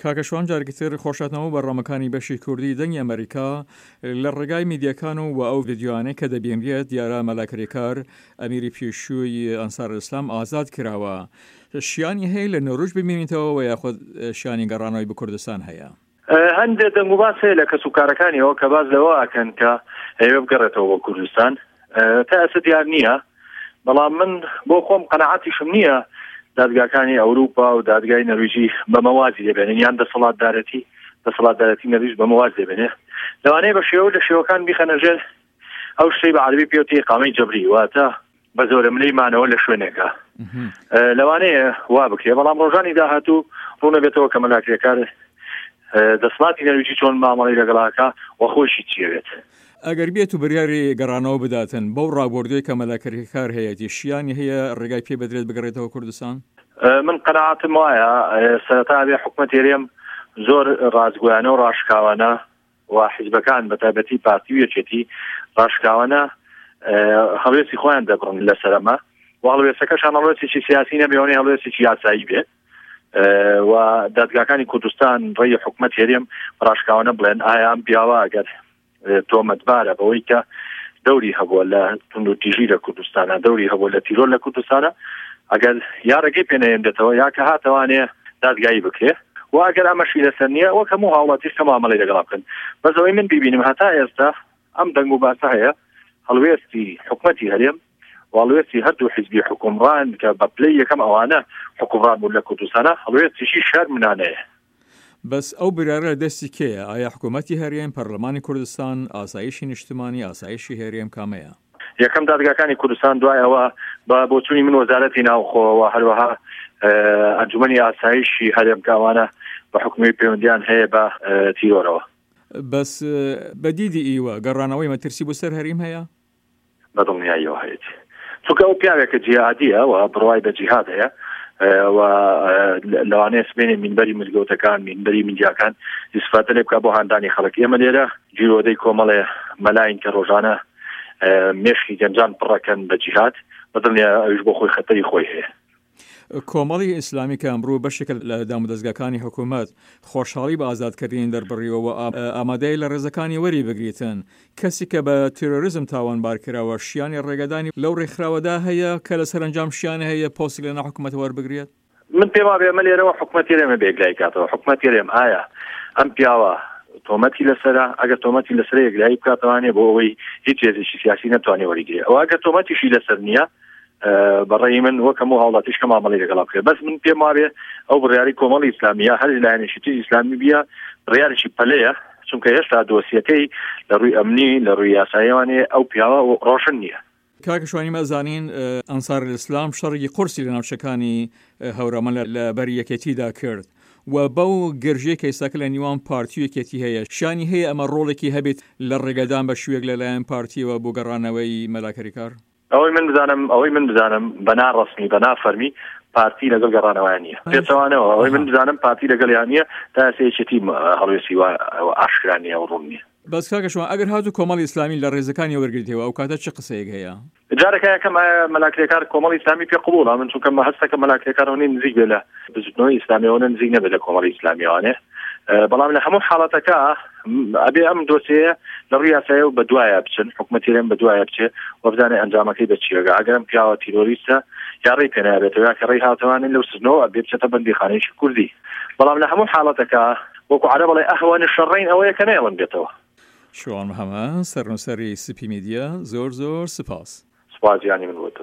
کاکە شوان جارێکی تر خۆشهاتنەوە بەرنامەکانی بەشی کوردی دەنگی ئەمەریکا لە ڕێگای میدیاکان و وە ئەو ڤیدیۆیانەی کە دەبینرێت دیارە مەلا کرێکار ئەمیری پێشووی ئەنسار ئیسلام ئازاد کراوە شیانی هەیە لە نۆروژ بمینیتەوە وە یاخود شیانی گەڕانەوەی بە کوردستان هەیە؟ هەندێک دەنگ و باس هەیە لە کەس و کارەکانیەوە کە باس لەوە ئەکەن کە ئەیەوێ بگەڕێتەوە بۆ کوردستان تا ئێستا دیار نییە بەڵام من بۆ خۆم قەناعەتیشم نییە دادگاکانی ئەوروپا و دادگای نەرویجی بەمە وازی لێبێنن یان دەسەڵاتدارەتی دەسەڵاتدارەتی نەرویج بەمە واز لێبێنێ لەوانەیە بە شێوە لە شێوەکان بیخەنە ژێر ئەو شتەی بە عەرەبی پێوتی ئیقامەی جەبری واتە بە زۆرەملێی مانەوە لە شوێنێکە لەوانەیە وا بکرێ بەڵام ڕۆژانی داهاتوو ڕوونەبێتەوە کە مەلا کرێکار دەسڵاتی نەرویجی چۆن مامەڵی لەگەڵاکە و خۆشی چیەوێت. ئەگەر بێت و بریاری گەڕانەوە بداتن بەو ڕابوردوەی کە مەلا کرێکار هەیەتی شیانی هەیە ڕێگای پێ بدرێت بگەڕێتەوە کوردستان؟ من قەناعەتم وایە سەرەتا ئەبێ حکومەتی هەرێم زۆر ڕاستگۆیانە و ڕاشکاوانە و حیزبەکان بە تایبەتی پارتی و یەکێتی ڕاشکاوانە هەڵوێستی خۆیان دەبڕن لەسەر ئەمە و هەڵوێستەکەشان هەڵوێستێکی سیاسی نەبێ ئەوەنەی هەڵوێستێکی یاسایی بێ و دادگاکانی کوردستان ڕێی حکومەت هەرێم ڕاشکاوانە بڵێن ئایا ئەم پیاوە ئەگەر تۆمەتبارە بەوەی کە دەوری هەبووە لە توندوتیژی لە کوردستانە دەوری هەبووە لە تیرۆر لە کوردستانە ئەگەر یا ڕێگەی پێنەیەندێتەوە یا کە هاتەوانێ دادگایی بکرێ و ئەگەر ئەمەشی لەسەر نییە وەک هەموو هاوڵاتیش کە مامەڵەی لەگەڵا بکەن بەس ئەوەی من بیبینم هەتا ئێستا ئەم دەنگ و باسە هەیە هەڵوێستی حکومەتی هەرێم و هەڵوێستی هەردوو حیزبی حکومڕان کە بە پلەی یەکەم ئەوانە حکومڕان بوون لە کوردستانە هەڵوێستیشی شەرمنانەیە. بەس ئەو بریارە لە دەستی کێیە؟ ئایا حکوومەتی هەرێم، پەرلەمانی کوردستان، ئاسایشی نیشتمانی، ئاسایشی هەرێم کامەیە؟ یەکەم دادگاکانی کوردستان دوای ئەوە بە بۆچوونی من وەزارەتی ناوخۆ و هەروەها ئەنجومەنی ئاسایشی هەرێم کە ئەوانە بە حکومی پەیوەندیان هەیە بە تیرۆرەوە. بەس بە دیدی ئیوە گەڕانەوەی مەترسی بۆ سەر هەریم هەیە؟ بە دڵنیاییەوە هەیەتی چونکە ئەو پیاوێکە جیهادیە و بڕوای بە جیهاد هەیە و لەوانەیە سبێنێ مینبەری مزگەوتەکان مینبەری میدیاکان ئیسفادە لێ بکە بۆ هاندانی خەڵک ئێمە لێرە گیرۆدەی کۆمەڵێ مەلاین کە ڕۆژانە مێشکی گەنجان پڕەکەن بە جیهاد بەدڵنیا ئەویش بۆ خۆی خەتەری خۆی هەیە. کۆمەڵی ئیسلامی کە ئەمڕۆ بەشێکە لە دامودەزگاکانی حکوومەت، خۆشحاڵی بە ئازادکردنی دەربڕیوە و ئامادەیە لە ڕێزەکانی وەری بگریتن. کەسی کە بە تێرۆریزم تاوانبار کراوە، شیانی ڕێگەدانی لەو ڕێکخراوەدا هەیە کە لە سەرەنجام شیانی هەیە پۆستێک لەناو حکوومەت وەربگرێت؟ من پێم وابێ ئەمە لێرەوە حکومەتی هەرێمە بێ یەکلایی کاتەوە. حکومەتی هەرێم ئایا ئەم پیاوە تۆمەتی لەسەرە؟ ئەگەر تۆمەتی لەسەرە یەکلایی بکاتەوانێ بۆ ئەوەی هیچ هێزێکی سیاسی نەتوانێ وەریگرێ. ئەوە ئەگەر تۆمەتیشی لەسەر نییە بەڕێی من وەک هەموو هاوڵاتیش کە مامەڵەی لەگەڵا بکرێت بەس من پێم وابێ ئەو بڕیاری کۆمەڵی ئیسلامی یا هەر لایەنێکی تری ئیسلامی بیە بڕیارێکی پەلەیە چونکە هێشتا دۆسیەکەی لە ڕووی ئەمنی لە ڕووی یاساییەوانێ ئەو پیاوە ڕۆشن نییە. کاکە شوانی ئێمە ئەزانین ئەنسار الاسلام شەڕێکی قورسی لە ناوچەکانی هەورامان لە بەری یەکێتیدا کرد و بەو گرژیەی کە ئێستاکە لە نیوان پارتی و یەکێتی هەیە شانی هەیە ئەمە ڕۆڵێکی هەبێت لە ڕێگەدان بە شوێک لەلایەن پارتیەوە بۆ گەڕانەوەی مەلا کریکار؟ ئەوەی من بزانم ئەوەی من بزانم بە نا ڕەسمی بە نا فەرمی پارتی لەگەڵ گەڕانەوەیان نییە پێچەوانەوە ئەوەی من بزانم پارتی لەگەڵیان نییە تا ئێستا یەکێتی هەڵوێستی وا ئاشکرا نییە و ڕوون نییە. بەس کاکە شوان ئەگەر هاتوو کۆمەڵی ئیسلامی لە ڕێزەکانی وەرگرتەوە ئەو کاتە چ قسەیەک هەیە؟ جارەکە یەکەم ئایا مەلا کرێکار کۆمەڵی ئیسلامی پێ قبوڵە؟ من چونکە مە هەستەکەم مەلا کرێکار ئەوەنەی نزیک بێ لە بزوتنەوەی ئیسلامی ئەوەنە نزیک نەبێت لە کۆمەڵی ئیسلامیەوانێ بەڵام لە هەموو حاڵەتەکە ئەبێ ئەم دۆسیەیە لە ڕووی یاسایەوە بە دوایە بچن حکومەتی هەرێم بە دوایە بچێ و بزانێ ئەنجامەکەی بە چیەگا ئەگەر ئەم پیاوە تیرۆریستە یا ڕێی پێ نابێتەوە یا کە ڕێی هاتەوانێ لەو سجنەوە ئەبێ بچێتە بەندیخانەیەکی کوردی بەڵام لە هەموو حاڵەتەکە وەکو عەرەب ئەڵێ ئەهوەن شەڕین ئەوەیە کە نەیەڵن بێتەوە. شوان محەمەد، سەرنووسەری سپی میدیا، زۆر زۆر سپاس. سپاس گیانی من بۆ تۆ.